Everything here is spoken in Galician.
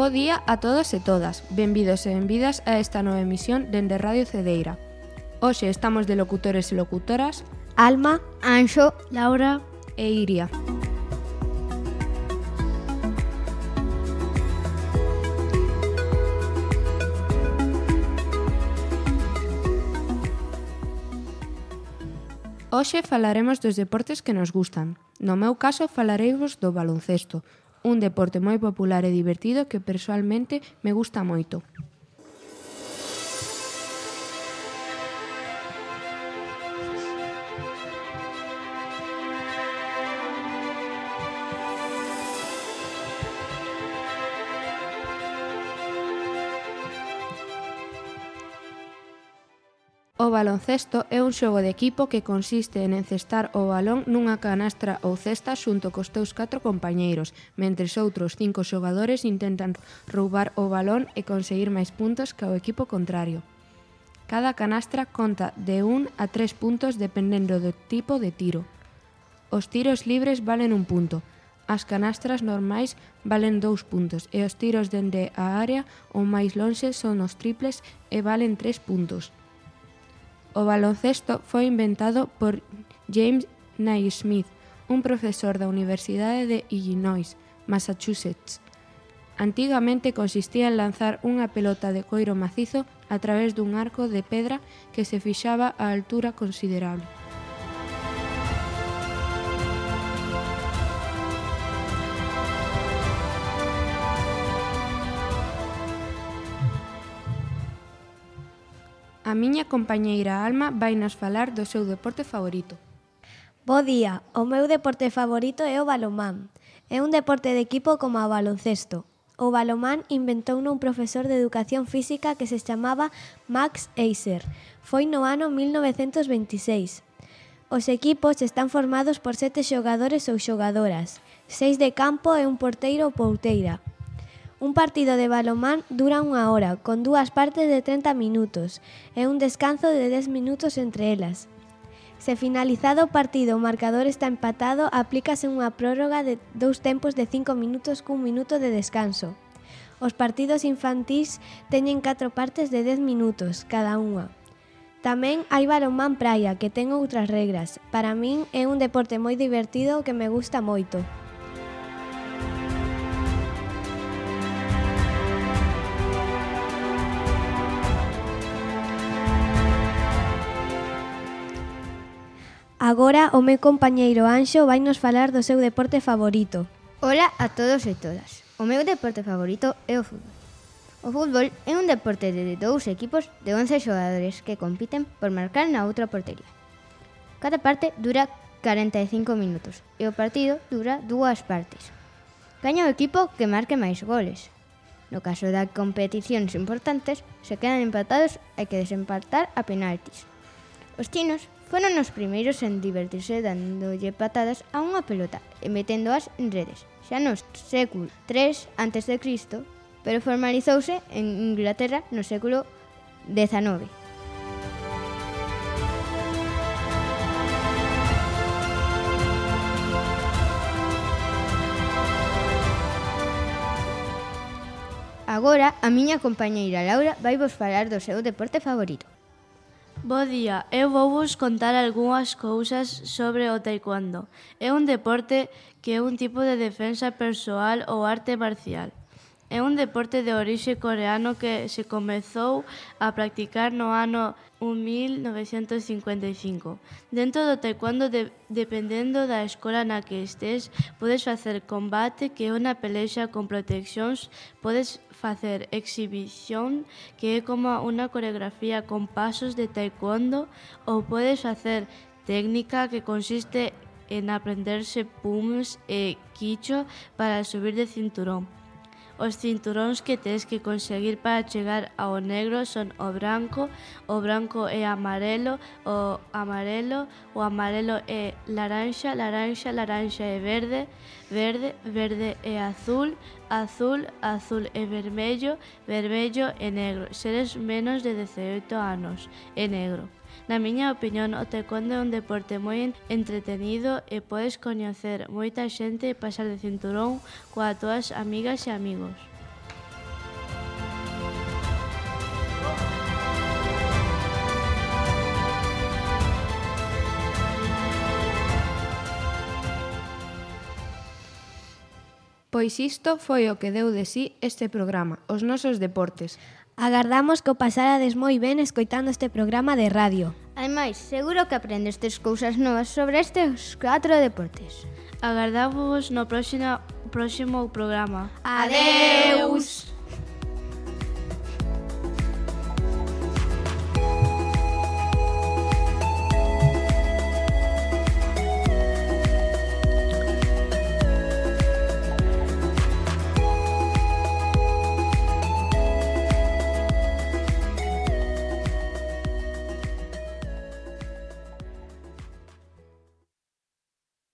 Bo día a todos e todas. Benvidos e benvidas a esta nova emisión dende Radio Cedeira. Hoxe estamos de locutores e locutoras Alma, Anxo, Laura e Iria. Hoxe falaremos dos deportes que nos gustan. No meu caso falareivos do baloncesto, un deporte moi popular e divertido que persoalmente me gusta moito. O baloncesto é un xogo de equipo que consiste en encestar o balón nunha canastra ou cesta xunto cos teus 4 compañeiros, mentres outros 5 xogadores intentan roubar o balón e conseguir máis puntos que o equipo contrario. Cada canastra conta de 1 a 3 puntos dependendo do tipo de tiro. Os tiros libres valen 1 punto, as canastras normais valen 2 puntos e os tiros dende a área ou máis lonxe son os triples e valen 3 puntos. O baloncesto foi inventado por James Naismith, un profesor da Universidade de Illinois, Massachusetts. Antigamente consistía en lanzar unha pelota de coiro macizo a través dun arco de pedra que se fixaba a altura considerable. A miña compañeira Alma vai nos falar do seu deporte favorito. Bo día, o meu deporte favorito é o balonmán. É un deporte de equipo como o baloncesto. O balonmán inventouno un profesor de educación física que se chamaba Max Eiser. Foi no ano 1926. Os equipos están formados por 7 xogadores ou xogadoras, 6 de campo e un porteiro ou porteira. Un partido de balonmán dura 1 hora, con 2 partes de 30 minutos e un descanso de 10 minutos entre elas. Se finalizado o partido o marcador está empatado, aplícase unha prórroga de 2 tempos de 5 minutos cun minuto de descanso. Os partidos infantís teñen 4 partes de 10 minutos cada unha. Tamén hai balonmán praia, que ten outras regras. Para min é un deporte moi divertido que me gusta moito. Agora o meu compañeiro Anxo vai nos falar do seu deporte favorito. Ola a todos e todas. O meu deporte favorito é o fútbol. O fútbol é un deporte de 2 equipos de 11 xogadores que compiten por marcar na outra portería. Cada parte dura 45 minutos e o partido dura 2 partes. Gaña o equipo que marque máis goles. No caso de competicións importantes, se quedan empatados, hai que desempatar a penaltis. Os chinos foron os primeiros en divertirse dándolle patadas a unha pelota e meténdoas en redes, xa no século III a.C., pero formalizouse en Inglaterra no século XIX. Agora, a miña compañeira Laura vai vos falar do seu deporte favorito. Bo día, eu vou vos contar algunhas cousas sobre o taekwondo. É un deporte que é un tipo de defensa persoal ou arte marcial. É un deporte de orixe coreano que se comezou a practicar no ano 1955. Dentro do taekwondo, dependendo da escola na que estés, podes facer combate, que é unha pelexa con proteccións, podes facer exhibición, que é como unha coreografía con pasos de taekwondo, ou podes facer técnica, que consiste en aprenderse pumos e quicho para subir de cinturón. Os cinturóns que tes que conseguir para chegar ao negro son o branco é amarelo, o amarelo é laranxa é verde é azul é vermello é negro. Seres menos de 18 anos é negro. Na miña opinión, o taekwondo é un deporte moi entretenido e podes coñecer moita xente e pasar de cinturón coas túas amigas e amigos. Pois isto foi o que deu de sí este programa, os nosos deportes. Agardamos que o pasarades moi ben escoitando este programa de radio. Ademais, seguro que aprendestes cousas novas sobre estes 4 deportes. Agardávos no próximo programa. Adeus!